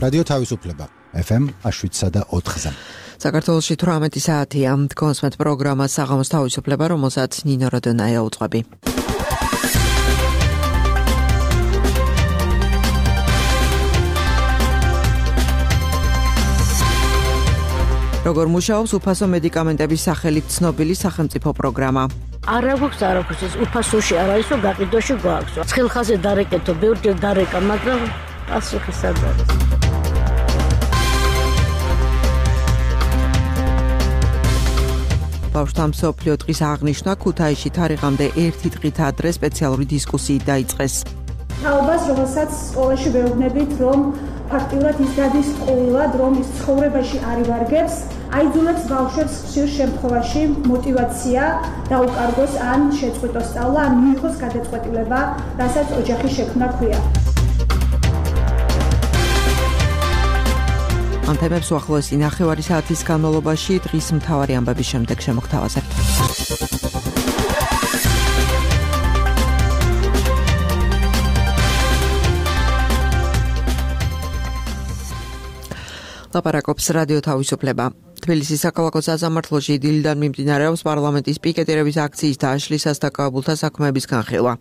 რადიო თავისუფლება FM 7.4-ზე. საქართველოში 18 საათია. კონსმეთ პროგრამა საღამოს თავისუფლება, რომელსაც ნინო როდონაია უძღვები. როგორ მუშაობს უფასო მედიკამენტების სახელით ცნობილი სახელმწიფო პროგრამა? არ აქვს უფასოში არ არის, რომ გაყიდოში გვაქვს. ცხელხაზე დარეკეთო, ბევრჯერ დარეკა, მაგრამ პასუხი სად არის? ბავშვთა მსოფლიო დღის აღნიშვნა ქუთაისში თარიღამდე 1 დღით ადრე სპეციალური დისკუსიით დაიწყეს. თაობას, რომელსაც სკოლაში ვეუბნებით, რომ ფაქტიურად ის გადის სკოლად, რომ ის ცხოვრებაში არ ივარგებს, აიძულებს ბავშვებს ხშირ შემთხვევაში მოტივაცია დაუკარგოს ან შეწყვიტოს სწავლა, ან მიიღოს გადაწყვეტილება, რასაც ოჯახის შექმნა ჰქვია. ამ თემებს უახლოესი ნახევარი საათის განმავლობაში დღის მთავარი ამბების შემდეგ შემოგთავაზებთ. ლაპარაკობს რადიო თავისუფლება. თბილისის საქალაქო სასამართლოში დილიდან მიმდინარეობს პარლამენტის პიკეტირების აქციის დაშლის სასტაკაობულთა საქმეების განხილვა.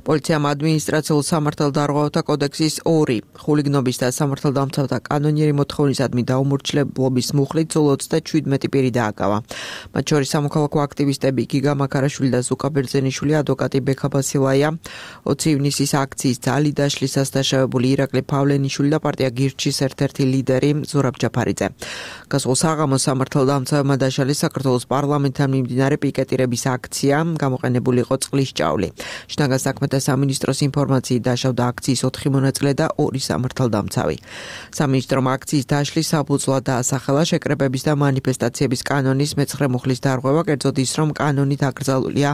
პოლიციამ ადმინისტრაციულ სამართალდარღვევთა კოდექსის 2 ხულიგნობის და სამართალდამცავთა კანონიერი მოთხოვნისადმი დაუმორჩილებლობის მუხლით სულ 37 პირი დააკავა. მათ შორის სამოქალაქო აქტივისტები გიგა მაქარაშვილი და ზუკა ბერძენიშვილი, ადვოკატი ბექა ბასილაია, 20 ივნისის აქციის ძალი დაშლისას დაშავებული ირაკლი პავლენიშვილი და პარტია გირჩის ერთ-ერთი ლიდერი ზურაბ ჯაფარიძე. გასულ საღამოს სამართალდამცავებმა დაშალეს საქართველოს პარლამენტთან მიმდინარე პიკეტირების აქცია, გამოყენებული იყო წყლის ჭავლი. შინაგან საქმეთა სამინისტროს ინფორმაციით დაშავდა აქციის 4 მონაწილე და 2 სამართალდამცავი. სამინისტრომ აქციის დაშლის საფუძვლად დაასახელა შეკრებების და მანიფესტაციების კანონის მე-9 მუხლის დარღვევა, კერძოდ ის, რომ კანონით აკრძალულია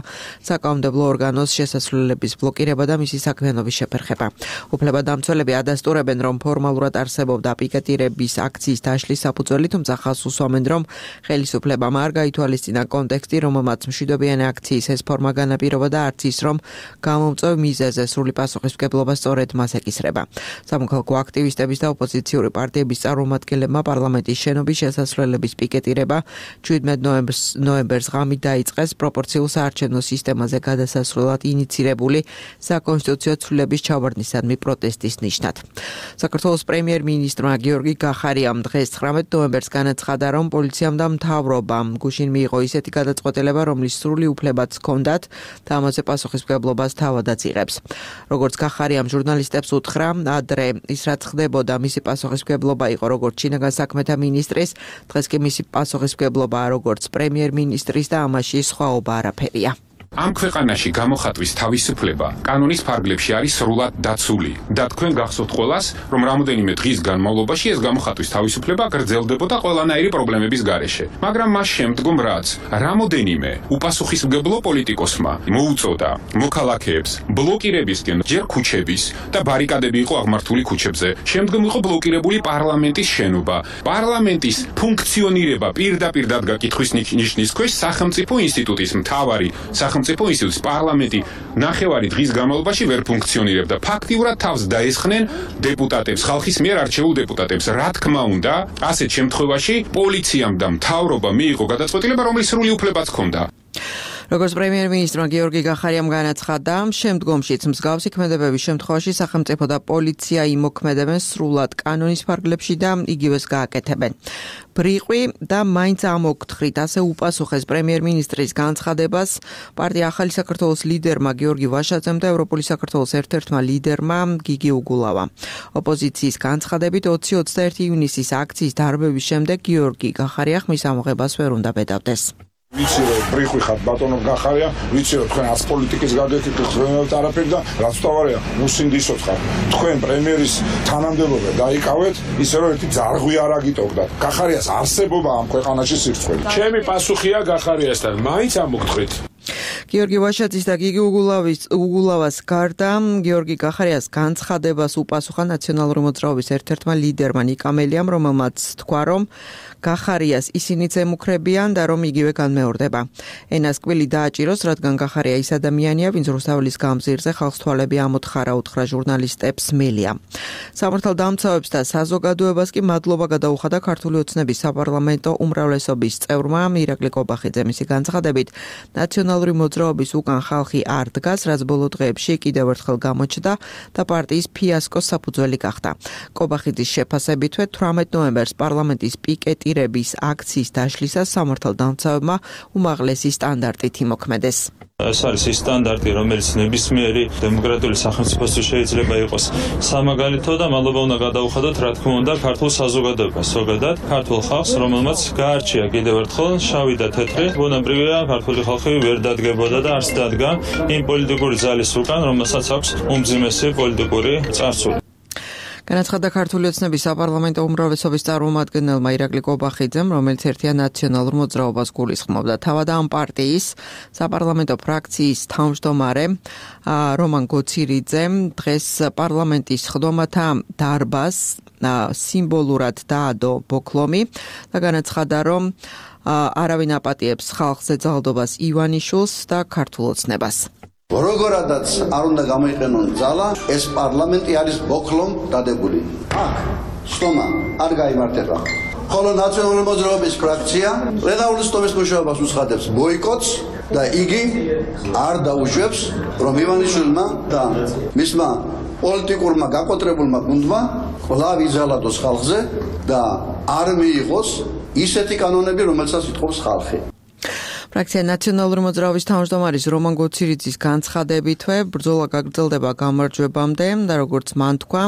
საკანონმდებლო ორგანოს შესასვლელების ბლოკირება და მისი საქმიანობის შეფერხება. უფლებადამცველები ადასტურებენ, რომ ფორმალურად არსებობდა პიკეტირების აქციის დაშლის საფუძველი, თუმცა ხაზს უსვამენ, რომ ხელისუფლებამ არ გაითვალისწინა კონტექსტი, რომელმაც მშვიდობიანი აქციის ეს ფორმა განაპირობა და არც ის, რომ გამომწვევ მიზეზზე სრული პასუხისმგებლობა სწორედ მას ეკისრება. სამოქალაქო აქტივისტების და ოპოზიციური პარტიების წარმომადგენლებმა პარლამენტის შენობის შესასვლელების პიკეტირება 17 ნოემბერს ღამით დაიწყეს პროპორციულ საარჩევნო სისტემაზე გადასასვლელად ინიცირებული საკონსტიტუციო ცვლილების ჩავარდნისადმი პროტესტის ნიშნად. საქართველოს პრემიერ-მინისტრმა გიორგი გახარიამ დღეს 19 ნოემბერს განაცხადა, რომ პოლიციამ და მთავრობამ გუშინ მიიღო ისეთი გადაწყვეტილება, რომლის სრული უფლებაც ჰქონდათ და ამაზე პასუხისმგებლობას თავადაც იღებს. როგორც გახარიამ ჟურნალისტებს უთხრა, ადრე ის რაც ხდებოდა, მისი პასუხისმგებლობა იყო როგორც შინაგან საქმეთა მინისტრის, დღეს კი მისი პასუხისმგებლობაა როგორც პრემიერ-მინისტრის და ამაში სხვაობა არაფერია. ამ ქვეყანაში გამოხატვის თავისუფლება კანონის ფარგლებში არის სრულად დაცული და თქვენ გახსოვთ ყველას, რომ რამოდენიმე დღის განმავლობაში ეს გამოხატვის თავისუფლება გრძელდებოდა ყველანაირი პრობლემების გარეშე. მაგრამ მას შემდგომ რაც რამოდენიმე უპასუხისმგებლო პოლიტიკოსმა მოუწოდა მოქალაქეებს ბლოკირებისკენ ჯერ ქუჩების და ბარიკადები იყო აღმართული ქუჩებზე. შემდგომ იყო ბლოკირებული პარლამენტის შენობა. პარლამენტის ფუნქციონირება პირდაპირ დადგა კითხვის ნიშნის ქვეშ სახელმწიფო ინსტიტუტის მთავარი სახელმწიფო ინსტიტუტის პარლამენტი ნახევარი დღის განმავლობაში ვერ ფუნქციონირებდა. ფაქტიურად თავს დაესხნენ დეპუტატებს, ხალხის მიერ არჩეულ დეპუტატებს. რა თქმა უნდა, ასეთ შემთხვევაში პოლიციამ და მთავრობამ მიიღო გადაწყვეტილება, რომლის სრული უფლებაც ჰქონდა. როგორც პრემიერ-მინისტრმა გიორგი გახარიამ განაცხადა, შემდგომშიც მსგავსი ქმედებების შემთხვევაში სახელმწიფო და პოლიცია იმოქმედებენ სრულად კანონის ფარგლებში და იგივეს გააკეთებენ. ბრიყვი და მაინც ამოგთხრით, ასე უპასუხეს პრემიერ-მინისტრის განცხადებას პარტია ახალი საქართველოს ლიდერმა გიორგი ვაშაძემ და ევროპული საქართველოს ერთ-ერთმა ლიდერმა გიგი უგულავამ. ოპოზიციის განცხადებით 20-21 ივნისის აქციის დარბევის შემდეგ გიორგი გახარია ხმის ამოღებას ვერ უნდა ბედავდეს. ვიცი რომ ბრიყვი ხარ ბატონო გახარია, ვიცი რომ თქვენ არც პოლიტიკის გაგეკითხეთ ხელოვნებად არაფერი და რაც თავარია მუსინდისოც ხარ. თქვენ პრემიერის თანამდებობა დაიკავეთ, ისე რომ ერთი ძარღვი არ აგიტოვდათ. გახარიას არსებობა ამ ქვეყანაში სირცხველი. ჩემი პასუხია გახარიასთან, მაინც ამოგთხრით. გიორგი ვაშაძის და გიგი უგულავას გარდა გიორგი გახარიას განცხადებას უპასუხა ნაციონალური მოძრაობის ერთ-ერთმა ლიდერმა ნიკა მელიამ, რომელმაც თქვა, რომ გახარიას ისინიც ემუქრებიან და რომ იგივე განმეორდება. ენას კვილი დააჭიროს, რადგან გახარია ის ადამიანია, ვინც რუსთაველის გამზირზე ხალხს თვალები ამოთხარა, უთხრა ჟურნალისტებს მელია. სამართალდამცავებს და საზოგადოებას კი მადლობა გადაუხადა ქართული ოცნების საპარლამენტო უმრავლესობის წევრმა ირაკლი კობახიძე. მისი განცხადებით, ნაციონალური მოძრაობის უკან ხალხი არ დგას, რაც ბოლო დღეებში კიდევ ერთხელ გამოჩნდა და პარტიის ფიასკოს საფუძველი გახდა. კობახიძის შეფასებითვე 18 ნოემბერს პარლამენტის პიკეტირების აქციის დაშლისას სამართალდამცავებმა უმაღლესი სტანდარტით იმოქმედეს. ეს არის ის სტანდარტი, რომელიც ნებისმიერი დემოკრატიული სახელმწიფოსთვის შეიძლება იყოს სამაგალითო და მადლობა უნდა გადაუხადოთ, რა თქმა უნდა, ქართულ საზოგადოებას, ზოგადად ქართულ ხალხს, რომელმაც გაარჩია კიდევ ერთხელ შავი და თეთრი. ბუნებრივია, ქართული ხალხი ვერ დადგებოდა და არც დადგა იმ პოლიტიკური ძალის უკან, რომელსაც აქვს უმძიმესი პოლიტიკური წარსული. განაცხადა ქართული ოცნების საპარლამენტო უმრავლესობის წარმომადგენელმა ირაკლი კობახიძემ, რომელიც ერთიან ნაციონალურ მოძრაობას გულისხმობდა. თავად ამ პარტიის საპარლამენტო ფრაქციის თავმჯდომარე რომან გოცირიძემ დღეს პარლამენტის ხდომათა დარბაზს სიმბოლურად დაადო ბოქლომი და განაცხადა, რომ არავინ აპატიებს ხალხს ეძალდობას ივანიშვილს და ქართულ ოცნებას. როგორადაც არ უნდა გამოიყენონ ძალა, ეს პარლამენტი არის ბოქლომ დადებული. აქ სტომა არ გაიმართება. ხოლო ნაციონალური მოძრაობის ფრაქცია პლენარული სტომის მუშაობას უცხადებს ბოიკოტს და იგი არ დაუშვებს, რომ ივანიშვილმა და მისმა პოლიტიკურმა გაკოტრებულმა გუნდმა კვლავ იზალადოს ხალხზე და არ მიიღოს ისეთი კანონები, რომელსაც ითხოვს ხალხი. ფრაქცია ნაციონალური მოძრაობის თავმჯდომარის რომან გოცირიძის განცხადებითვე ბრძოლა გაგრძელდება გამარჯვებამდე და როგორც მან თქვა,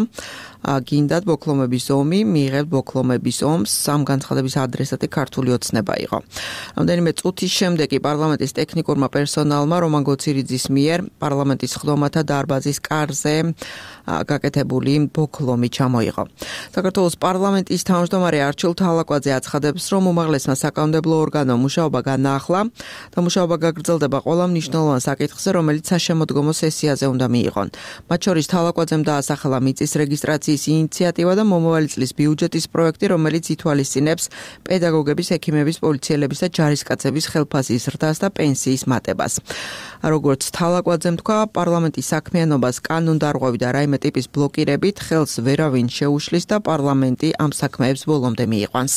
გინდათ ბოქლომების ომი, მიიღებთ ბოქლომების ომს, ამ განცხადების ადრესატი ქართული ოცნება იყო. რამდენიმე წუთის შემდეგ პარლამენტის ტექნიკურმა პერსონალმა რომან გოცირიძის მიერ პარლამენტის ხდომათა დარბაზის კარზე გაკეთებული ბოქლომი ჩამოიღო. საქართველოს პარლამენტის თავმჯდომარე არჩილ თალაკვაძე აცხადებს, რომ უმაღლესმა საკანონმდებლო ორგანომ მუშაობა განაახლა და მუშაობა გაგრძელდება ყველა მნიშვნელოვან საკითხზე, რომელიც საშემოდგომო სესიაზე უნდა მიიღონ. მათ შორის თალაკვაძემ დაასახელა მიწის რეგისტრაციის ინიციატივა და მომავალი წლის ბიუჯეტის პროექტი, რომელიც ითვალისწინებს პედაგოგების, ექიმების, პოლიციელების და ჯარისკაცების ხელფასის ზრდას და პენსიის მატებას. როგორც თალაკვაძემ თქვა, პარლამენტის საქმიანობას კანონდარღვევი და რაიმე ტიპის ბლოკირებით ხელს ვერავინ შეუშლის და პარლამენტი ამ საქმეებს ბოლომდე მიიყვანს.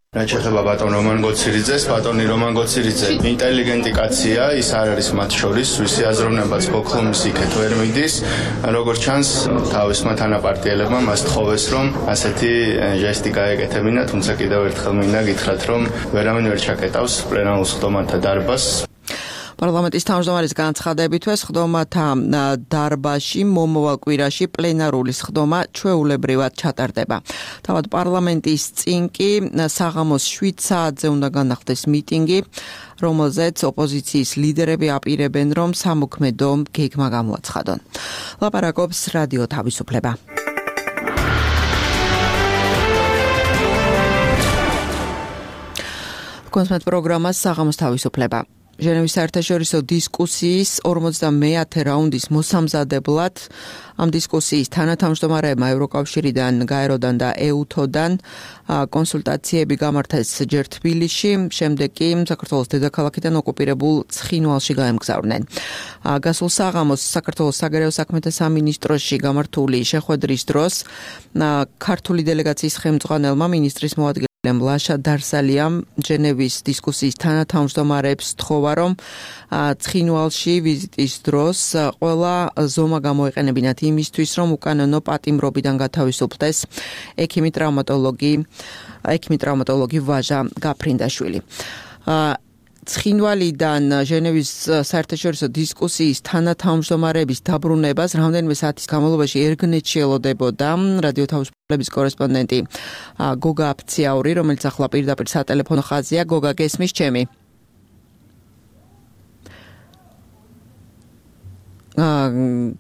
რაც შეეხება ბატონ რომან გოცირიძეს, ბატონი რომან გოცირიძე ინტელიგენტი კაცია, ის არ არის მათ შორის, ვისი აზროვნებაც ბოქლომის იქეთ ვერ მიდის. როგორც ჩანს, თავისმა თანაპარტიელებმა მას თხოვეს, რომ ასეთი ჟესტი გაეკეთებინა, თუმცა კიდევ ერთხელ მინდა გითხრათ, რომ ვერავინ ვერ ჩაკეტავს პლენარულ ხდომათა დარბაზს. პარლამენტის თავმჯდომარის განცხადებითვე ხდომათა დარბაზში მომავალ კვირაში პლენარული ხდომა ჩვეულებრივად ჩატარდება. თავად პარლამენტის წინ კი საღამოს 7 საათზე უნდა განახდეს მიტინგი, რომელზეც ოპოზიციის ლიდერები აპირებენ, რომ სამოქმედო გეგმა გამოაცხადონ. ლაპარაკობს რადიო თავისუფლება. კონსმეთ პროგრამას საღამოს თავისუფლება. ჟენევის საერთაშორისო დისკუსიის 50-მე რაუნდის მოსამზადებლად ამ დისკუსიის თანათავმჯდომარეებმა ევროკავშირიდან, გაეროდან და EUTO-დან კონსულტაციები გამართეს ჯერ თბილისში, შემდეგ კი საქართველოს დედაქალაქიდან ოკუპირებულ ცხინვალში გაემგზავრნენ. გასულ საღამოს საქართველოს საგარეო საქმეთა სამინისტროში გამართული შეხვედრის დროს ქართული დელეგაციის ხელმძღვანელმა მინისტრის მოადგილე ლაშა დარსალიამ ჟენევის დისკუსიის თანათავმჯდომარებს თხოვა, რომ ცხინვალში ვიზიტის დროს ყველა ზომა გამოეყენებინათ იმისთვის, რომ უკანონო პატიმრობიდან გათავისუფლდეს ექიმი-ტრავმატოლოგი ვაჟა გაფრინდაშვილი. ცხინვალიდან ჟენევის საერთაშორისო დისკუსიის თანათავმჯდომარების დაბრუნებას რამდენიმე საათის განმავლობაში ერგნეთში ელოდებოდა რადიო თავისუფლების კორესპონდენტი გოგა აფციაური, რომელიც ახლა პირდაპირ სატელეფონო ხაზია. გოგა, გესმის ჩემი?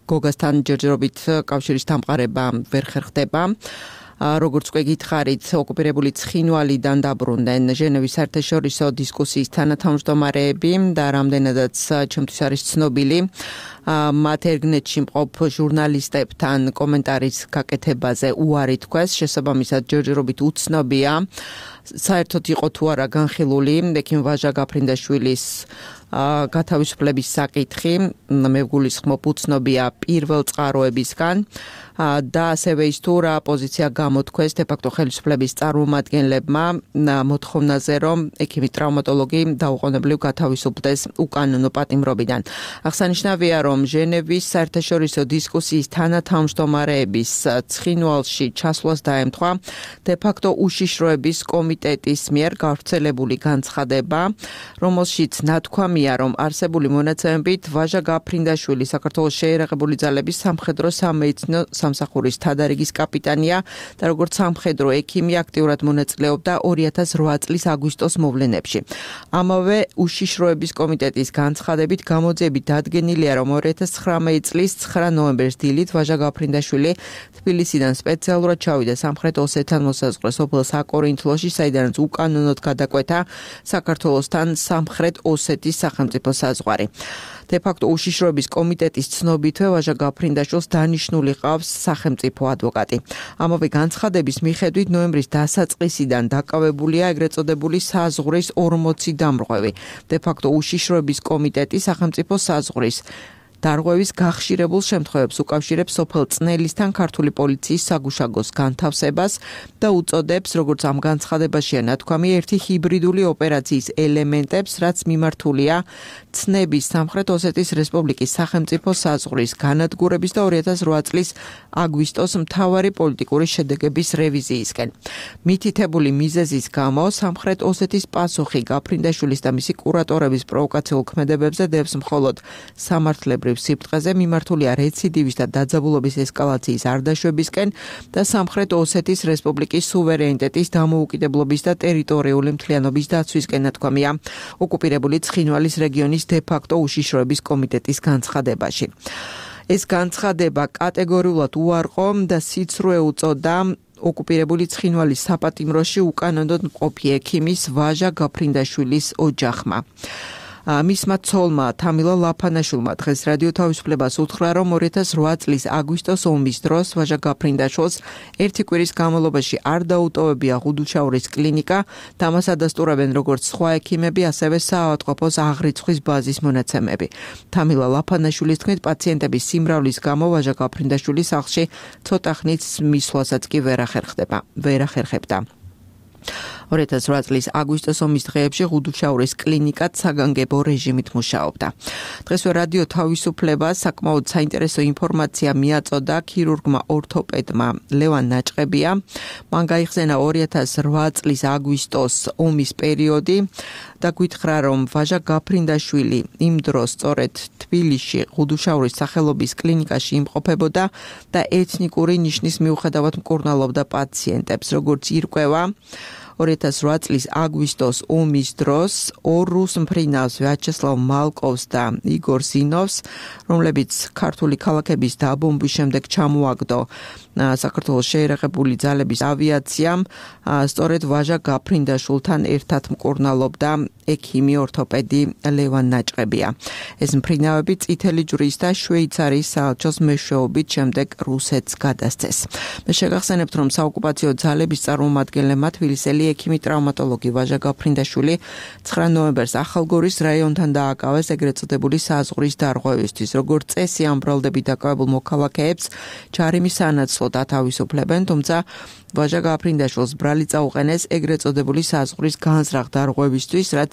გოგასთან ჯერჯერობით კავშირის დამყარება ვერ ხერხდება. როგორც უკვე გითხარით, ოკუპირებული ცხინვალიდან დაბრუნდნენ ჟენევის საერთაშორისო დისკუსიის თანათავმჯდომარეები და რამდენადაც ჩემთვის არის ცნობილი, მათ ერგნეტში მყოფ ჟურნალისტებთან კომენტარის გაკეთებაზე უარი თქვეს, შესაბამისად ჯერჯერობით უცნობია საერთოდ იყო თუ არა განხილული ექიმ ვაჟა გაფრინდაშვილის გათავისუფლების საკითხი, მე ვგულისხმობ უცნობია პირველ წყაროებისგან და ასევე ის თუ რა პოზიცია გამოთქვეს დე-ფაქტო ხელისუფლების წარმომადგენლებმა მოთხოვნაზე, რომ ექიმი ტრავმატოლოგი დაუყოვნებლივ გათავისუფლდეს უკანონო პატიმრობიდან. აღსანიშნავია, რომ ჟენევის საერთაშორისო დისკუსიის თანათავმჯდომარეების ცხინვალში ჩასვლას დაემთხვა დე-ფაქტო უშიშროების კომიტეტის მიერ გავრცელებული განცხადება, რომელშიც ნათქვამია, რომ არსებული მონაცემებით ვაჟა გაფრინდაშვილი საქართველოს შეიარაღებული ძალების სამხედრო სამედიცინო სამსახურის თადარიგის კაპიტანია და როგორც სამხედრო ექიმი აქტიურად მონაწილეობდა 2008 წლის აგვისტოს მოვლენებში. ამავე უშიშროების კომიტეტის განცხადებით გამოძიებით დადგენილია, რომ 2019 წლის 9 ნოემბერს დილით ვაჟა გაფრინდაშვილი თბილისიდან სპეციალურად ჩავიდა სამხრეთ ოსეთთან მოსაზღვრე სოფელ საკორინთლოში, საიდანაც უკანონოდ გადაკვეთა საქართველოსთან სამხრეთ ოსეთის სახელმწიფო საზღვარი. დე-ფაქტო უშიშროების კომიტეტის ცნობითვე ვაჟა გაფრინდაშვილს დანიშნული ყავს სახელმწიფო ადვოკატი. ამავე განცხადების მიხედვით ნოემბრის დასაწყისიდან დაკავებულია ეგრეთ წოდებული საზღვრის 40 დამრღვევი. დე-ფაქტო უშიშროების კომიტეტი სახელმწიფო საზღვრის დარღვევის გახშირებულ შემთხვევებს უკავშირებს სოფელ წნელისთან ქართული პოლიციის საგუშაგოს განთავსებას და უწოდებს, როგორც ამ განცხადებაშია ნათქვამი, ერთი ჰიბრიდული ოპერაციის ელემენტებს, რაც მიმართულია ცნების სამხრეთ ოსეთის რესპუბლიკის სახელმწიფო საზღვრის განადგურების და 2008 წლის აგვისტოს მთავარი პოლიტიკური შედეგების რევიზიისკენ. მითითებული მიზეზის გამო სამხრეთ ოსეთის პასუხი გაფრინდაშვილის და მისი კურატორების პროვოკაციულ ქმედებებზე დევს მხოლოდ სამართლებრივ სიფტყეზე, მიმართულია რეციდივის და დაძაბულობის ესკალაციის არ დაშვებისკენ და სამხრეთ ოსეთის რესპუბლიკის სუვერენიტეტის დამოუკიდებლობის და ტერიტორიული მთლიანობის დაცვისკენ, ნათქვამია ოკუპირებული ცხინვალის რეგიონის დე-ფაქტო უშიშროების კომიტეტის განცხადებაში. ეს განცხადება კატეგორიულად უარყო და სიცრუე უწოდა ოკუპირებული ცხინვალის საპატიმროში უკანონოდ მყოფი ექიმის ვაჟა გაფრინდაშვილის ოჯახმა. მისმა ცოლმა თამილა ლაფანაშვილმა დღეს რადიო თავისუფლებას უთხრა, რომ 2008 წლის აგვისტოს ომის დროს ვაჟა გაფრინდაშვილს ერთი კვირის განმავლობაში არ დაუტოვებია ღუდუშაურის კლინიკა და მას ადასტურებენ როგორც სხვა ექიმები, ასევე საავადმყოფოს აღრიცხვის ბაზის მონაცემები. თამილა ლაფანაშვილის თქმით, პაციენტების სიმრავლის გამო ვაჟა გაფრინდაშვილი სახლში ცოტა ხნით მისვლასაც კი ვერ ახერხებდა. 2008 წლის აგვისტოს ომის დღეებში ღუდუშაურის კლინიკად საგანგებო რეჟიმით მუშაობდა. დღესვე რადიო თავისუფლებას საკმაოდ საინტერესო ინფორმაცია მიაწოდა ქირურგმა ორთოპედმა ლევან ნაჭყებია. მან გაიხსენა 2008 წლის აგვისტოს ომის პერიოდი და გითხრა, რომ ვაჟა გაფრინდაშვილი იმ დროს სწორედ თბილისში ღუდუშაურის სახელობის კლინიკაში იმყოფებოდა და ეთნიკური ნიშნის მიუხედავად მკურნალობდა პაციენტებს, როგორც ირკვევა 2008 წლის აგვისტოს ომის დროს ორ რუს მფრინავს ვიაჩესლავ მალკოვს და იგორ ზინოვს, რომლებიც ქართული ქალაქების დაბომბვის შემდეგ ჩამოაგდო საქართველოს შეიარაღებული ძალების ავიაციამ, სწორედ ვაჟა გაფრინდაშვილთან ერთად მკურნალობდა ექიმი ორთოპედი ლევან ნაჭყებია. ეს მფრინავები წითელი ჯვრის და შვეიცარიის საელჩოს მეშვეობით შემდეგ რუსეთს გადასცეს. მე შეგახსენებთ, რომ საოკუპაციო ძალების წარმომადგენლებმა თბილისელი ექიმი ტრავმატოლოგი ვაჟა გაფრინდაშვილი 9 ნოემბერს ახალგორის რაიონთან დააკავეს ეგრეთ წოდებული საზღვრის დარღვევისთვის. როგორც წესი, ამ ბრალდებით დაკავებულ მოქალაქეებს ჯარიმის სანაცვლოდ ათავისუფლებენ, თუმცა ვაჟა გაფრინდაშვილს ბრალი წაუყენეს ეგრეთ წოდებული საზღვრის განზრახ დარღვევისთვის, რაც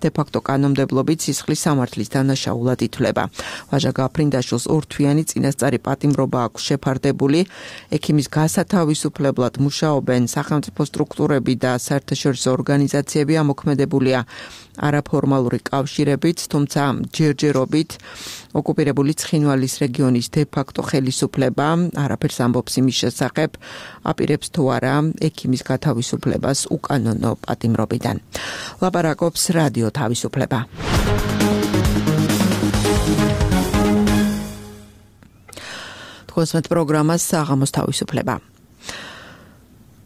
დე-ფაქტო კანონმდებლობით სისხლის სამართლის დანაშაულად ითვლება. ვაჟა გაფრინდაშვილს ორთვიანი წინასწარი პატიმრობა აქვს შეფარდებული. ექიმის გასათავისუფლებლად მუშაობენ სახელმწიფო სტრუქტურები და საერთაშორისო ორგანიზაციები, ამოქმედებულია არაფორმალური კავშირებით, თუმცა ჯერჯერობით ოკუპირებული ცხინვალის რეგიონის დე-ფაქტო ხელისუფლება არაფერს ამბობს იმის შესახებ, აპირებს თუ არა ექიმის გათავისუფლებას უკანონო პატიმრობიდან. ლაპარაკობს რადიო თავისუფლება. თქვენს პროგრამას საღამოს თავისუფლება.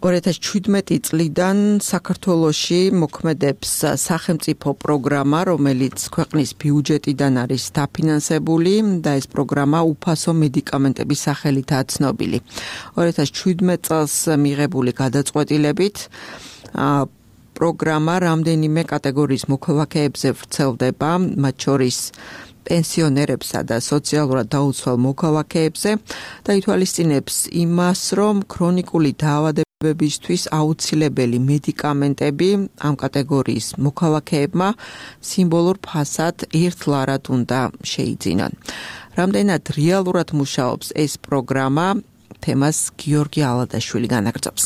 2017 წლიდან საქართველოში მოქმედებს სახელმწიფო პროგრამა, რომელიც ქვეყნის ბიუჯეტიდან არის დაფინანსებული და ეს პროგრამა უფასო მედიკამენტების სახელითაა ცნობილი. 2017 წელს მიღებული გადაწყვეტილებით პროგრამა რამდენიმე კატეგორიის მოქალაქეებზე ვრცელდება, მათ შორის პენსიონერებსა და სოციალურად დაუცველ მოქალაქეებზე და ითვალისწინებს იმას, რომ ქრონიკული დაავადებებისთვის აუცილებელი მედიკამენტები ამ კატეგორიის მოქალაქეებმა სიმბოლურ ფასად ერთლარად უნდა შეიძინონ. რამდენად რეალურად მუშაობს ეს პროგრამა, თემას გიორგი ალადაშვილი განაგრძობს.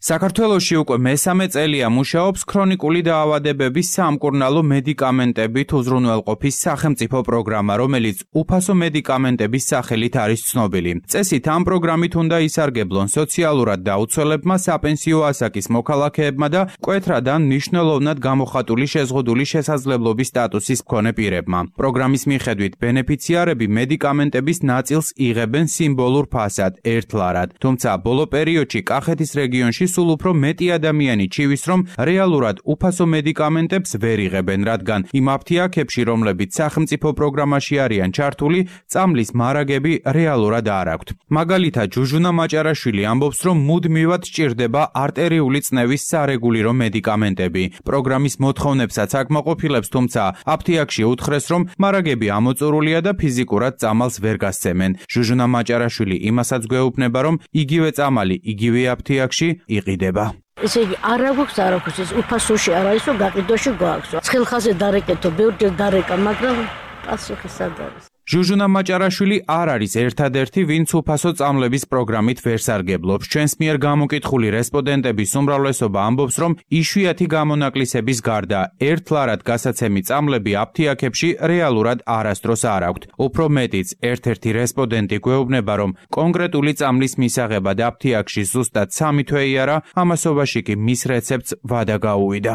საქართველოში უკვე მესამე წელია მუშაობს ქრონიკული დაავადებების სამკურნალო მედიკამენტებით უზრუნველყოფის სახელმწიფო პროგრამა, რომელიც უფასო მედიკამენტების სახელით არის ცნობილი. წესით ამ პროგრამით უნდა ისარგებლონ სოციალურად დაუცველებმა, საპენსიო ასაკის მოქალაქეებმა და მკვეთრად ან მნიშვნელოვნად გამოხატული შეზღუდული შესაძლებლობის სტატუსის მქონე პირებმა. პროგრამის მიხედვით ბენეფიციარები მედიკამენტების ნაწილს იღებენ სიმბოლურ ფასად ერთლარად, თუმცა ბოლო პერიოდში კახეთის რეგიონში სულ უფრო მეტი ადამიანი ჩივის, რომ რეალურად უფასო მედიკამენტებს ვერ იღებენ, რადგან იმ აფთიაქებში, რომლებიც სახელმწიფო პროგრამაში არიან ჩართული, წამლის მარაგები რეალურად არ აქვთ. მაგალითად, ჟუჟუნა მაჭარაშვილი ამბობს, რომ მუდმივად სჭირდება არტერიული წნევის სარეგულირო მედიკამენტები. პროგრამის მოთხოვნებსაც აკმაყოფილებს, თუმცა აფთიაქში უთხრეს, რომ მარაგები ამოწურულია და ფიზიკურად წამალს ვერ გასცემენ. ჟუჟუნა მაჭარაშვილი იმასაც გვეუბნება, რომ იგივე წამალი იგივე აფთიაქში იყიდება. ესე იგი არა გვაქვს არაფერს, ეს უფასოში არ არის, რომ გაყიდვაში გვაქვს. ცხელხაზე დარეკეთო, ბევრჯერ დარეკა, მაგრამ პასუხი სად არის? ჟუჟუნა მაჭარაშვილი არ არის ერთადერთი, ვინც უფასო წამლების პროგრამით ვერ სარგებლობს. ჩვენს მიერ გამოკითხული რესპონდენტების უმრავლესობა ამბობს, რომ იშვიათი გამონაკლისების გარდა ერთლარად გასაცემი წამლები აფთიაქებში რეალურად არასდროს არ აქვთ. უფრო მეტიც, ერთ-ერთი რესპონდენტი გვეუბნება, რომ კონკრეტული წამლის მისაღებად აფთიაქში ზუსტად 3 თვე არა, ამასობაში კი მის რეცეპტს ვადა გაუვიდა.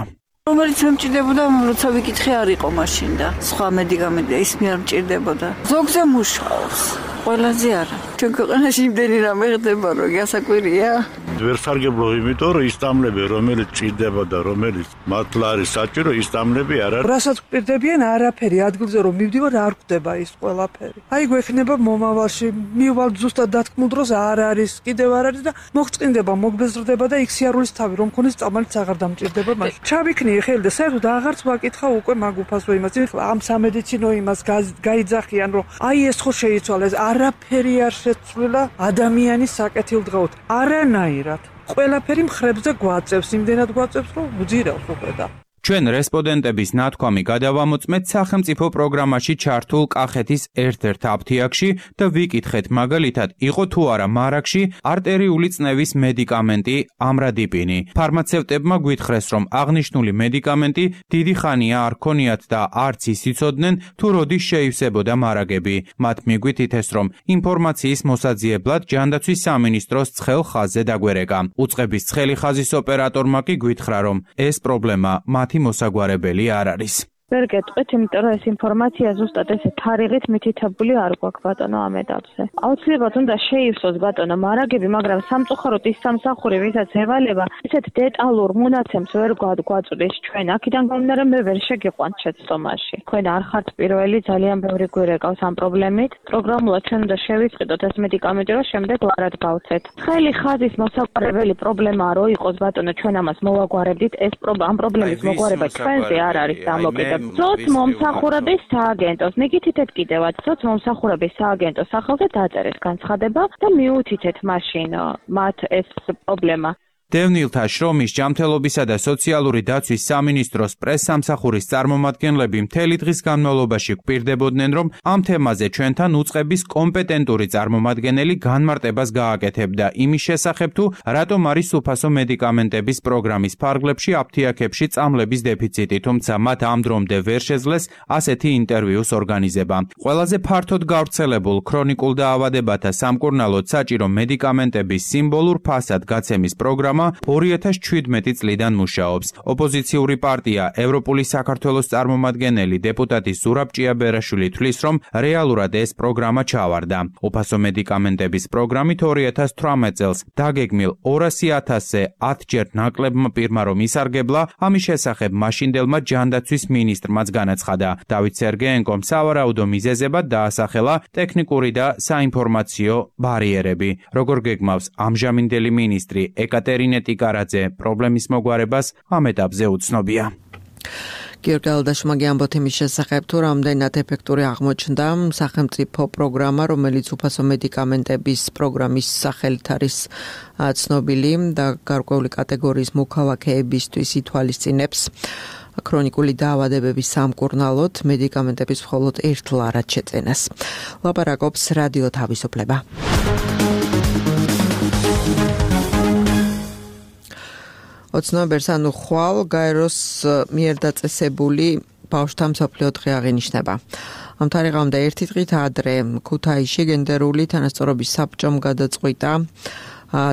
რომელიც მე მჭირდებოდა, როცა ვიკითხე არ იყო მაშინ და სხვა მედიკამენტი ის მე არ მჭირდებოდა. ზოგზე მუშაობს, ყველაზე არა. ჩვენ ქვეყანაში იმდენი რამე ხდება, რომ გასაკვირია. ვერ სარგებლო, იმიტომ რომ ის წამლები, რომელიც მჭირდებოდა, რომელიც მართლა არის საჭირო, ის წამლები არ არის. რასაც გვპირდებიან არაფერი, ადგილზე რომ მივდივარ არ გვხვდება ის ყველაფერი. აი გვექნება მომავალში, მივალ ზუსტად დათქმულ დროს არ არის, კიდევ არ არის და მოღწინდება, მოგბეზრდება და იქ სიარულის თავი რომ ქონის წამალიც აღარ დამჭირდება მაშინ. ჩავიქნი ხელი და საერთოდ აღარც ვაკითხა უკვე მაგ უფასო იმას. ამ სამედიცინო იმას გაიძახიან, რომ აი ეს ხო შეიცვალა, ეს არაფერი არ შეცვლილა ადამიანის საკეთილდღეოდ. არანაირად. ყველაფერი მხრებზე გვაწევს, იმდენად გვაწევს, რომ უძირავს უკვე და ჩვენ რესპონდენტების ნათქვამი გადავამოწმეთ სახელმწიფო პროგრამაში ჩართულ კახეთის ერთ-ერთ აფთიაქში და ვიკითხეთ მაგალითად იყო თუ არა მარაგში არტერიული წნევის მედიკამენტი ამრადიპინი. ფარმაცევტებმა გვითხრეს, რომ აღნიშნული მედიკამენტი დიდი ხანია არ ქონიათ და არც ის იცოდნენ თუ როდის შეივსებოდა მარაგები. მათ მიგვითითეს, რომ ინფორმაციის მოსაძიებლად ჯანდაცვის სამინისტროს ცხელ ხაზზე დაგვერეკა. უწყების ცხელი ხაზის ოპერატორმა კი გვითხრა, რომ ეს პრობლემა მათი მოსაგვარებელი არ არის. ვერ გეტყვით, იმიტომ რომ ეს ინფორმაცია ზუსტად ესე თარიღით მითითებული არ გვაქვს ბატონო ამ ეტაპზე. აუცილებლად უნდა შეივსოს ბატონო მარაგები, მაგრამ სამწუხაროდ ის სამსახური, ვისაც ევალება, ისეთ დეტალურ მონაცემს ვერ გვაწვდის ჩვენ. აქედან გამომდინარე მე ვერ შეგიყვანთ შეცდომაში. თქვენ არ ხართ პირველი, ძალიან ბევრი გვირეკავს ამ პრობლემით. პროგრამულად ჩვენ უნდა შევიწყიდოთ ეს მედიკამენტი, რომ შემდეგ ვარად გავცეთ. ცხელი ხაზის მოსაგვარებელი პრობლემაა, რომ იყოს ბატონო, ჩვენ ამას მოვაგვარებდით, ეს ამ პრობლემის მოგვარება ჩვენზე არ არის დამოკიდებული. სოცმომსახურების სააგენტოს მიგითითეთ კიდევაც სოცმომსახურების სააგენტოს სახელზე დაწერეს განცხადება და მიუთითეთ მაშინ მათ ეს პრობლემა. დევნილთა შრომის ჯანმრთელობისა და სოციალური დაცვის სამინისტროს პრესსამსახურის წარმომადგენლები მთელი დღის განმავლობაში გვპირდებოდნენ, რომ ამ თემაზე ჩვენთან უწყების კომპეტენტური წარმომადგენელი განმარტებას გააკეთებდა იმის შესახებ, თუ რატომ არის უფასო მედიკამენტების პროგრამის ფარგლებში აფთიაქებში წამლების დეფიციტი, თუმცა მათ ამ დრომდე ვერ შეძლეს ასეთი ინტერვიუს ორგანიზება. ყველაზე ფართოდ გავრცელებულ ქრონიკულ დაავადებათა სამკურნალოდ საჭირო მედიკამენტების სიმბოლურ ფასად გაცემის პროგრამა პროგრამა 2017 წლიდან მუშაობს. ოპოზიციური პარტია ევროპული საქართველოს წარმომადგენელი დეპუტატი ზურაბ ჭიაბერაშვილი თვლის, რომ რეალურად ეს პროგრამა ჩავარდა. უფასო მედიკამენტების პროგრამით 2018 წელს დაგეგმილ 200.000-ზე 10-ჯერ ნაკლებმა პირმა რომ ისარგებლა, ამის შესახებ მაშინდელმა ჯანდაცვის მინისტრმაც განაცხადა. დავით სერგეენკომ სავარაუდო მიზეზებად დაასახელა ტექნიკური და საინფორმაციო ბარიერები. როგორ გეგმავს ამჟამინდელი მინისტრი ეკატერინე ტიკარაძე პრობლემის მოგვარებას ამ ეტაპზე უცნობია. გიორგი ალდაშმაგი ამბობთ იმის შესახებ, თუ რამდენად ეფექტური აღმოჩნდა სახელმწიფო პროგრამა, რომელიც უფასო მედიკამენტების პროგრამის სახელით არის ცნობილი და გარკვეული კატეგორიის მოქალაქეებისთვის ითვალისწინებს ქრონიკული დაავადებების სამკურნალოდ მედიკამენტების მხოლოდ ერთლარად შეწენას. ლაპარაკობს რადიო თავისუფლება. ოცნობერს ანუ ხვალ გაეროს მიერ დაწესებული ბავშვთა მსოფლიო დღე აღინიშნება. ამ თარიღამდე ერთი დღით ადრე ქუთაისში გენდერული თანასწორობის საბჭომ გადაწყვიტა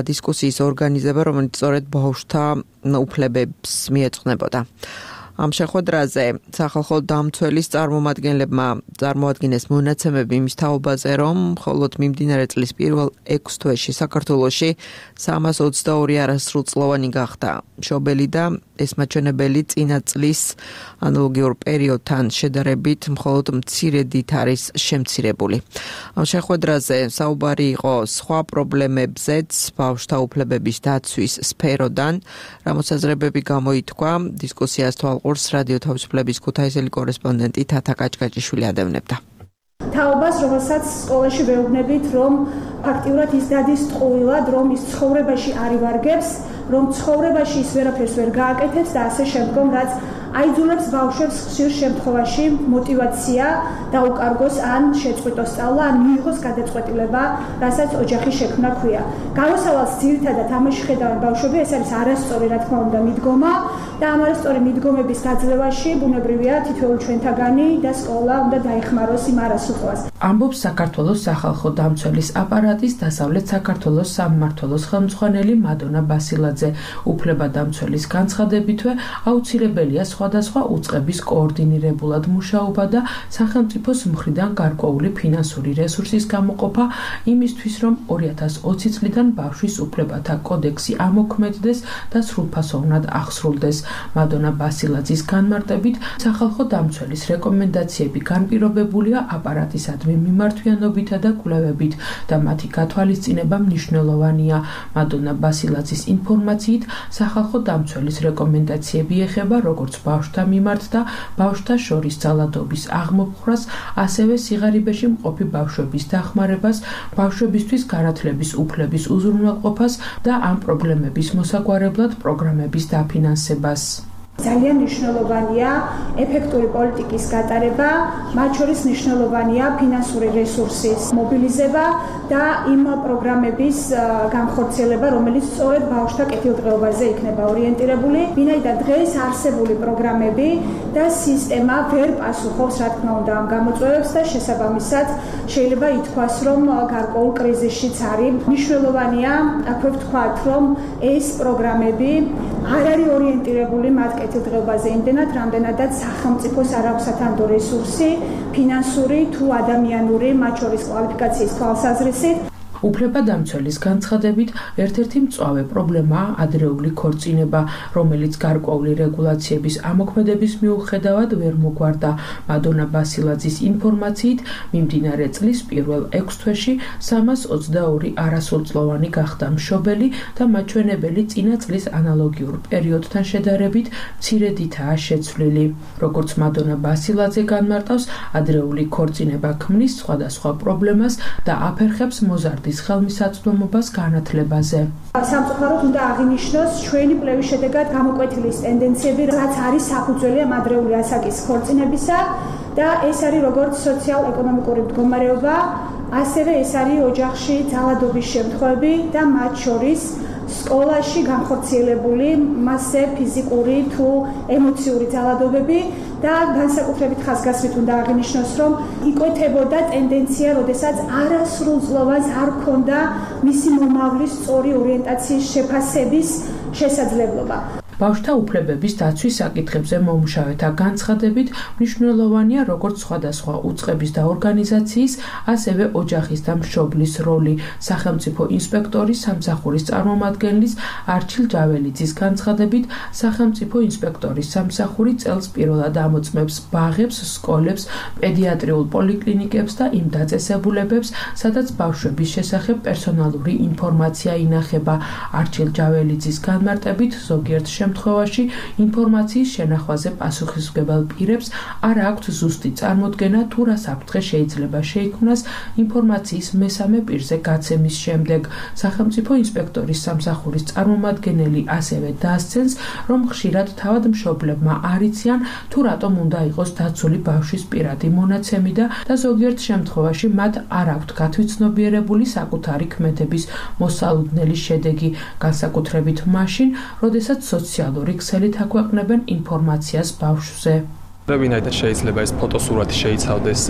დისკუსიის ორგანიზება, რომელიც სწორედ ბავშვთა უფლებებს მიეძღვნებოდა. ამ შეხვედრაზე სახალხო დამცველის წარმომადგენლებმა წარმოადგინეს მონაცემები იმის თაობაზე, რომ მხოლოდ მიმდინარე წლის პირველ 6 თვეში საქართველოში 322 არასრულწლოვანი გახდა მშობელი და ეს მაჩვენებელი წინა წლის ანალოგიურ პერიოდთან შედარებით მხოლოდ მცირედით არის შემცირებული. ამ შეხვედრაზე საუბარი იყო სხვა პრობლემებზეც ბავშვთა უფლებების დაცვის სფეროდან, რამოსაზრებები გამოითქვა დისკუსიას თვალყურს რადიო თავისუფლების ქუთაისელი კორესპონდენტი თათა კაჭკაჭიშვილი ადევნებდა. თაობას, რომელსაც სკოლაში ვეუბნებით, რომ ფაქტიურად ის დადის ტყუილად, რომ ის ცხოვრებაში არ ივარგებს, რომ ცხოვრებაში ის ვერაფერს ვერ გააკეთებს და ასე შემდგომ, რაც აიძულებს ბავშვებს ხშირ შემთხვევაში მოტივაცია დაუკარგოს ან შეწყვიტოს სწავლა, ან მიიღოს გადაწყვეტილება, რასაც ოჯახის შექმნა ჰქვია. გამოსავალს ძირითადად ამაში ხედავენ ბავშვები, ეს არის არასწორი, რა თქმა უნდა, მიდგომა და ამ არასწორი მიდგომების გაძლევაში ბუნებრივია თითოეულ ჩვენთაგანი და სკოლა უნდა დაეხმაროს იმ არასრულყოფას. ამბობს საქართველოს სახალხო დამცველის აპარატის დასავლეთ საქართველოს სამმართველოს ხელმძღვანელი მადონა ბასილაძე. უფლებადამცველის განცხადებითვე აუცილებელია სხვადასხვა უწყების კოორდინირებულად მუშაობა და სახელმწიფოს მხრიდან გარკვეული ფინანსური რესურსის გამოყოფა იმისთვის, რომ 2020 წლიდან ბავშვის უფლებათა კოდექსი ამოქმედდეს და სრულფასოვნად ახსრულდეს. მადონა ბასილაძის განმარტებით, სახალხო დამცველის რეკომენდაციები განპირობებულია აპარატისადმი მიმართვიანობითა და კვლევებით და მათი გათვალისწინება მნიშვნელოვანია. მადონა ბასილაძის ინფორმაციით, სახალხო დამცველის რეკომენდაციები ეხება როგორც ბავშვთა მიმართ და ბავშვთა შორის ძალადობის აღმოფხვრას, ასევე სიღარიბეში მყოფი ბავშვების დახმარებას, ბავშვებისთვის განათლების უფლების უზრუნველყოფას და ამ პრობლემების მოსაგვარებლად პროგრამების დაფინანსებას. ძალიან მნიშვნელოვანია ეფექტური პოლიტიკის გატარება, მათ შორის მნიშვნელოვანია ფინანსური რესურსის მობილიზება და იმ პროგრამების განხორციელება, რომელიც სწორედ ბავშვთა კეთილდღეობაზე იქნება ორიენტირებული. ვინაიდან დღეს არსებული პროგრამები და სისტემა ვერ პასუხობს, რა თქმა უნდა, ამ გამოწვევებს და შესაბამისად შეიძლება ითქვას, რომ გარკვეულ კრიზისშიც არის. მნიშვნელოვანია, აქვე ვთქვათ, რომ ეს პროგრამები არ არის ორიენტირებული მათ კეთილდღეობაზე იმდენად, რამდენადაც სახელმწიფოს არ აქვს სათანადო რესურსი, ფინანსური თუ ადამიანური, მათ შორის კვალიფიკაციის თვალსაზრისით. უფლებადამცველის განცხადებით, ერთ-ერთი მწვავე პრობლემაა ადრეული ქორწინება, რომელიც გარკვეული რეგულაციების ამოქმედების მიუხედავად ვერ მოგვარდა. მადონა ბასილაძის ინფორმაციით, მიმდინარე წლის პირველ 6 თვეში 322 არასრულწლოვანი გახდა მშობელი და მაჩვენებელი წინა წლის ანალოგიურ პერიოდთან შედარებით მცირედითაა შეცვლილი. როგორც მადონა ბასილაძე განმარტავს, ადრეული ქორწინება ქმნის სხვადასხვა პრობლემას და აფერხებს მოზარდის ხელმისაწვდომობას განათლებაზე. სამწუხაროდ უნდა აღინიშნოს ჩვენი კვლევის შედეგად გამოკვეთილი ტენდენციები, რაც არის საფუძველი ამ ადრეული ასაკის ქორწინებისა და ეს არის როგორც სოციალ-ეკონომიკური მდგომარეობა, ასევე ეს არის ოჯახში ძალადობის შემთხვევები და მათ შორის სკოლაში განხორციელებული მასზე ფიზიკური თუ ემოციური ძალადობები და განსაკუთრებით ხაზგასმით უნდა აღინიშნოს, რომ იკვეთებოდა ტენდენცია, როდესაც არასრულწლოვანს არ ჰქონდა მისი მომავლის სწორი ორიენტაციის შეფასების შესაძლებლობა. ბავშვთა უფლებების დაცვის საკითხებზე მომუშავეთა განცხადებით მნიშვნელოვანია როგორც სხვადასხვა უწყების და ორგანიზაციის, ასევე ოჯახის და მშობლის როლი. სახელმწიფო ინსპექტორის სამსახურის წარმომადგენლის არჩილ ჯაველიძის განცხადებით, სახელმწიფო ინსპექტორის სამსახური წელს პირველად ამოწმებს ბაღებს, სკოლებს, პედიატრიულ პოლიკლინიკებს და იმ დაწესებულებებს, სადაც ბავშვების შესახებ პერსონალური ინფორმაცია ინახება. არჩილ ჯაველიძის განმარტებით ზოგიერთ შემთხვევაში ინფორმაციის შენახვაზე პასუხისმგებელ პირებს არ აქვთ ზუსტი წარმოდგენა თუ რა საფრთხე შეიძლება შეიქმნას ინფორმაციის მესამე პირზე გაცემის შემდეგ. სახელმწიფო ინსპექტორის სამსახურის წარმომადგენელი ასევე დაასცენს, რომ ხშირად თავად მშობლებმა არ იციან თუ რატომ უნდა იყოს დაცული ბავშვის პირადი მონაცემი და ზოგიერთ შემთხვევაში მათ არ აქვთ გათვითცნობიერებული საკუთარი ქმედების მოსალოდნელი შედეგი, განსაკუთრებით მაშინ, როდესაც სოციალური ქსელით აქვეყნებენ ინფორმაციას ბავშვზე. ვინაიდან შეიძლება ეს ფოტოსურათი შეიცავდეს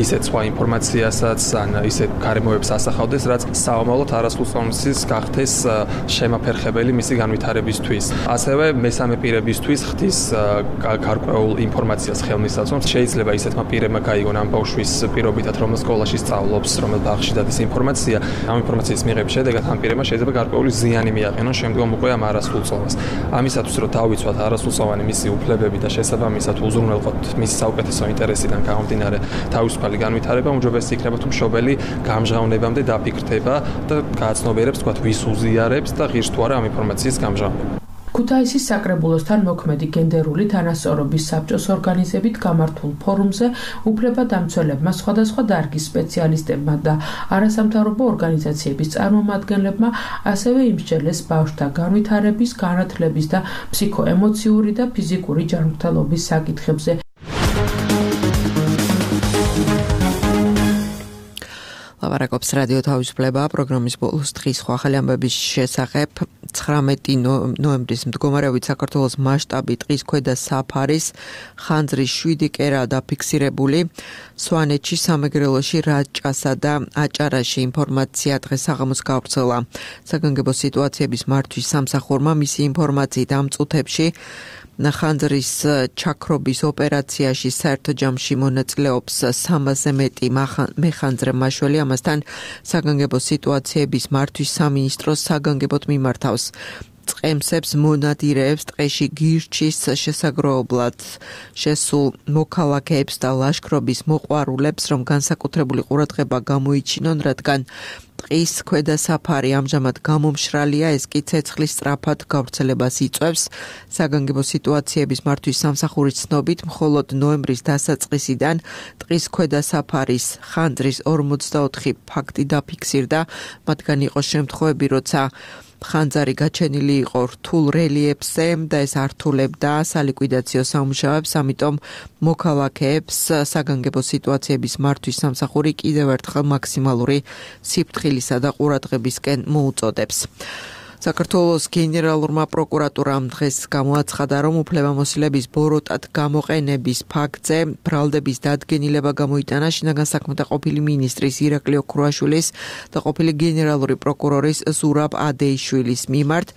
ისეთ სხვა ინფორმაციასაც, ან ისეთ გარემოებს ასახავდეს, რაც საომავლოდ არასრულწლოვანების გახდეს შემაფერხებელი მისი განვითარებისთვის. ასევე მესამე პირებისთვის ხდის გარკვეულ ინფორმაციას ხელმისაწვდომს. შეიძლება ისეთმა პირებმა გაიგონ ამ ბავშვის პირობითად, რომელ სკოლაში სწავლობს, რომელ ბაღში დადის ინფორმაცია, ამ ინფორმაციის მიღების შედეგად ამ პირებმა შეიძლება გარკვეული ზიანი მიაყენონ შემდგომ უკვე ამ არასრულწლოვანს. ამისათვის, რომ დავიცვათ არასრულწლოვანი მისი უფლებები და შესაბამისად უზრუნველყოთ მის საუკეთესო ინტერესიდან გამომდინარე თავისუფალი განვითარება, უმჯობესი იქნება თუ მშობელი გამჟღავნებამდე დაფიქრდება და გააცნობიერებს, თქვათ, ვის უზიარებს და ღირს თუ არა ამ ინფორმაციის გამჟღავნება. ქუთაისის საკრებულოსთან მოქმედი გენდერული თანასწორობის საბჭოს ორგანიზებით გამართულ ფორუმზე უფლებადამცველებმა, სხვადასხვა დარგის სპეციალისტებმა და არასამთავრობო ორგანიზაციების წარმომადგენლებმა ასევე იმსჯელეს ბავშვთა განვითარების, განათლების და ფსიქოემოციური და ფიზიკური ჯანმრთელობის საკითხებზე. ლაპარაკობს რადიო თავისუფლება პროგრამის ბოლოს დღის სხვა ახალი ამბების შესახებ. 19 ნოემბრის მდგომარეობით საქართველოს მასშტაბით ტყის ქვედა საფარის ხანძრის 7 კერა დაფიქსირებული. სვანეთში, სამეგრელოში, რაჭასა და აჭარაში ინფორმაცია დღეს საღამოს გავრცელა. საგანგებო სიტუაციების მართვის სამსახურმა მისი ინფორმაციით ამ წუთებში ხანძრის ჩაქრობის ოპერაციაში საერთო ჯამში მონაწილეობს 300-ზე მეტი მეხანძრე მაშველი, ამასთან საგანგებო სიტუაციების მართვის სამინისტროს საგანგებოდ მიმართავს. წყემსებს მონადირეებს ტყეში გირჩის შესაგროებლად შესულ მოქალაქეებს და ლაშქრობის მოყვარულებს, რომ განსაკუთრებული ყურადღება გამოიჩინონ, რადგან ტყის ქვედა საფარი ამჟამად გამომშრალია, ეს კი ცეცხლის სწრაფად გავრცელებას იწვევს. საგანგებო სიტუაციების მართვის სამსახურის ცნობით, მხოლოდ ნოემბრის დასაწყისიდან ტყის ქვედა საფარის ხანძრის 44 ფაქტი დაფიქსირდა, მათგან იყო შემთხვევები, როცა ხანძარი გაჩენილი იყო რთულ რელიეფზე და ეს ართულებდა სალიკვიდაციო სამუშაოებს, ამიტომ მოქალაქეებს საგანგებო სიტუაციების მართვის სამსახური კიდევ ერთხელ მაქსიმალური სიფრთხილისა და ყურადღებისკენ მოუწოდებს. საქართველოს გენერალურმა პროკურატურამ დღეს გამოაცხადა, რომ უფლებამოსილების ბოროტად გამოყენების ფაქტზე ბრალდების დადგენილება გამოიტანა შინაგან საქმეთა ყოფილი მინისტრის ირაკლი ოქრუაშვილის და ყოფილი გენერალური პროკურორის ზურაბ ადეიშვილის მიმართ.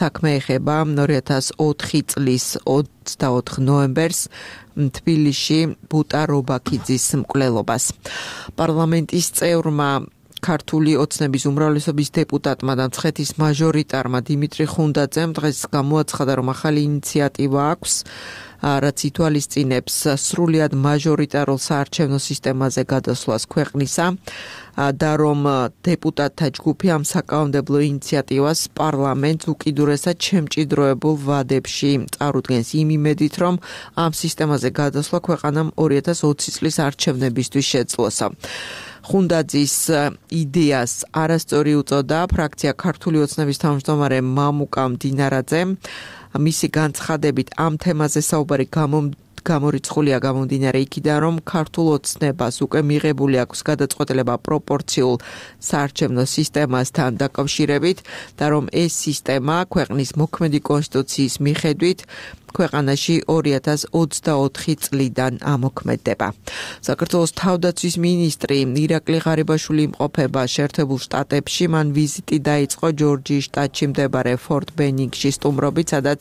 საქმე ეხება 2004 წლის 24 ნოემბერს თბილისში ბუტა რობაქიძის მკვლელობას. პარლამენტის წევრმა ქართული ოცნების უმრავლესობის დეპუტატმა და მცხეთის მაჟორიტარმა დიმიტრი ხუნდაძემ დღეს გამოაცხადა, რომ ახალი ინიციატივა აქვს, რაც ითვალისწინებს სრულიად მაჟორიტარულ საარჩევნო სისტემაზე გადასვლას ქვეყნისა და რომ დეპუტატთა ჯგუფი ამ საკანონმდებლო ინიციატივას პარლამენტს უკიდურესად შემჭიდროებულ ვადებში წარუდგენს იმ იმედით, რომ ამ სისტემაზე გადასვლა ქვეყანამ 2020 წლის არჩევნებისთვის შეძლოსა. ხუნდაძის იდეას არასწორი უწოდა ფრაქცია ქართული ოცნების თავმჯდომარე მამუკა მდინარაძემ. მისი განცხადებით ამ თემაზე საუბარი გამორიცხულია გამომდინარე იქიდან, რომ ქართულ ოცნებას უკვე მიღებული აქვს გადაწყვეტილება პროპორციულ საარჩევნო სისტემასთან დაკავშირებით და რომ ეს სისტემა ქვეყნის მოქმედი კონსტიტუციის მიხედვით ქვეყანაში 2024 წლიდან ამოქმედება. საქართველოს თავდაცვის მინისტრი ირაკლი ღარიბაშვილი იმყოფება შეერთებულ შტატებში, მან ვიზიტი დაიწყო ჯორჯიის შტატში მდებარე ფორტ ბენინგში სტუმრობით, სადაც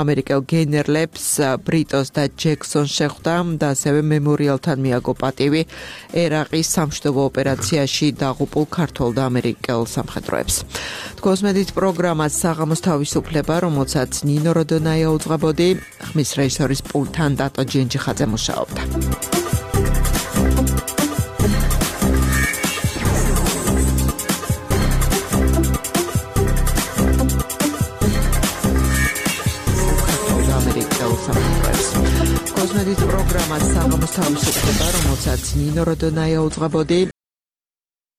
ამერიკელ გენერლებს ბრიტოს და ჯექსონს შეხვდა და ასევე მემორიალთან მიაგო პატივი ერაყის სამშვიდობო ოპერაციაში დაღუპულ ქართველ და ამერიკელ სამხედროებს. თქოს მედით პროგრამას საღამოს თავისუფლება, რომელსაც ნინო როდონაია უძღვებოდა ხმის რეჟისორის პულტთან დატო ჯენჯიხაძე მუშაობდა. კოსმეტიკის პროგრამა საღამოს თავისუფლება, რომელსაც ნინო როდონაია უძღვებოდა